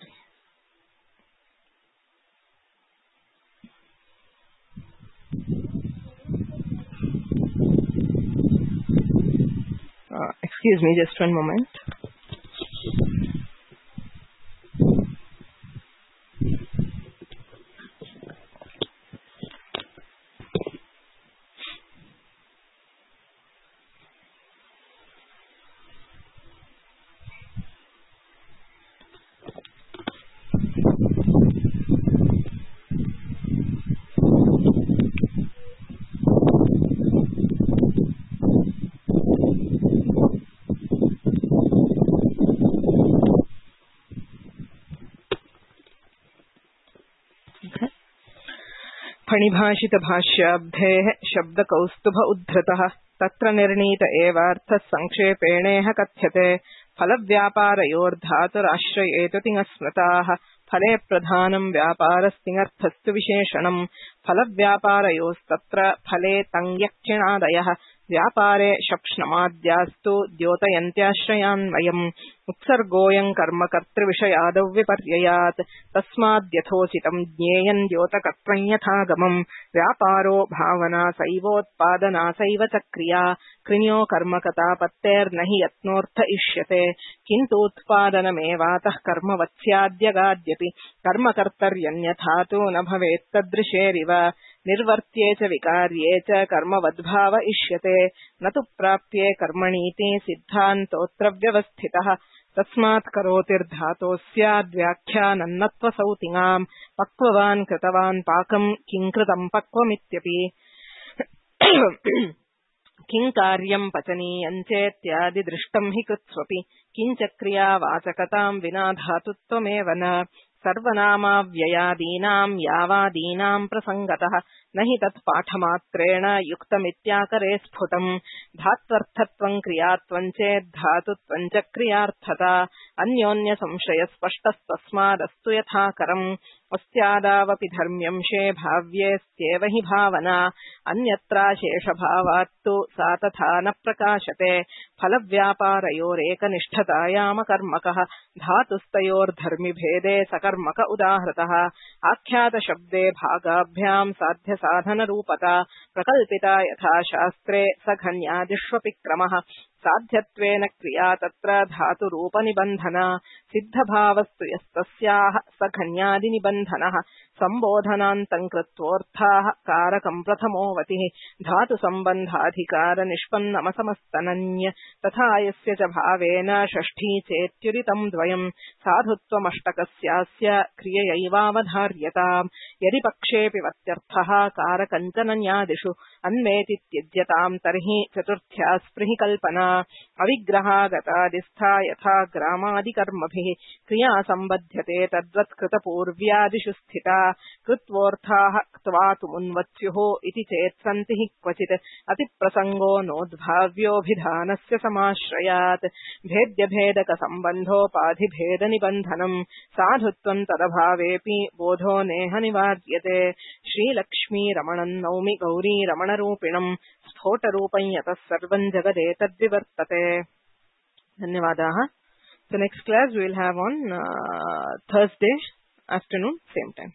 Uh, excuse me, just one moment. फणिभाषित भाष्याब्धेः शब्द कौस्तुभ उद्धृतः तत्र निर्णीत एवार्थः संक्षेपेणेह कथ्यते फलव्यापारयोर्धातुराश्रयेतु तिङस्मृताः फले प्रधानं व्यापारस्तिङर्थस्तु विशेषणम् फलव्यापारयोस्तत्र फले तङ्यक्षिणादयः व्यापारे शप्ष्णमाद्यास्तु द्योतयन्त्याश्रयान्वयम् उत्सर्गोऽयं कर्म कर्तृविषयादौ विपर्ययात् तस्माद्यथोचितं ज्ञेयं द्योतकर्तृं यथागमम् व्यापारो भावना सैवोत्पादना सैव च क्रिया कृण्यो कर्मकतापत्तेर्न हि यत्नोऽर्थ इष्यते किन्तु उत्पादनमेवातः कर्मवत्स्याद्यगाद्यपि कर्मकर्तर्यन्यथा तु न भवेत् तदृशेरिव निर्वर्त्ये च विकार्ये च कर्मवद्भाव इष्यते न तु प्राप्ये कर्मणीति सिद्धान्तोऽत्र व्यवस्थितः तस्मात् करोतिर्धातोस्याद्व्याख्यानन्नत्वसौतिङाम् पक्ववान् कृतवान् पाकम् किं कृतम् पक्वमित्यपि किं कार्यं पचनीयं चेत्यादि दृष्टं हि कृत्स्वपि किञ्च क्रियावाचकतां विना धातुत्वमेव न सर्वनामाव्ययादीनां यावादीनां प्रसङ्गतः न हि तत् पाठमात्रेण युक्तमित्याकरे स्फुटम् धात्वर्थत्वं क्रियात्वं चेत् धातुत्वं च क्रियार्थता अन्योन्यसंशयस्पष्टस्तस्मादस्तु यथाकरम् अस्यादावपि धर्म्यंशे भाव्येस्त्येव हि भावना अन्यत्राशेषभावात्तु सा तथा न प्रकाशते फलव्यापारयोरेकनिष्ठतायामकर्मकः धातुस्तयोर्धर्मिभेदे सकर्मक उदाहृतः आख्यातशब्दे भागाभ्यां साध्यसाधनरूपता प्रकल्पिता यथा शास्त्रे सघन्यादिष्वपि क्रमः साध्यत्वेन क्रिया तत्र धातुरूपनिबन्धना सिद्धभावस्तु यस्तस्याः सघन्यादिनिबन्धनः सम्बोधनान्तं कृत्वोऽर्थाः कारकं प्रथमोऽवतिः धातुसम्बन्धाधिकारनिष्पन्नमसमस्तनन्य तथा यस्य च भावेन षष्ठी चेत्युरितं द्वयम् साधुत्वमष्टकस्यास्य क्रिययैवावधार्यताम् यदि पक्षेऽपि वत्यर्थः कारकञ्चनन्यादिषु अन्वेति त्यज्यताम् तर्हि चतुर्थ्या स्पृहि कल्पना अविग्रहागतादिस्था यथा ग्रामादिकर्मभिः क्रिया सम्बध्यते तद्वत् कृतपूर्व्यादिषु स्थिता कृत्वोऽर्थाः क्त्वातुमुन्वत्स्युः इति चेत् सन्ति हि क्वचित् अतिप्रसङ्गो नोद्भाव्योऽभिधानस्य समाश्रयात् भेद्यभेदकसम्बन्धोपाधिभेदनिबन्धनम् साधुत्वं तदभावेऽपि बोधो नेह निवार्यते श्रीलक्ष्मीरमणं नौमि गौरीरमणरूपिणम् स्फोटरूपं यतः सर्वं जगदेतद्विवर्तते. धन्यवादाः. The next class we will have on uh, Thursday afternoon, same time.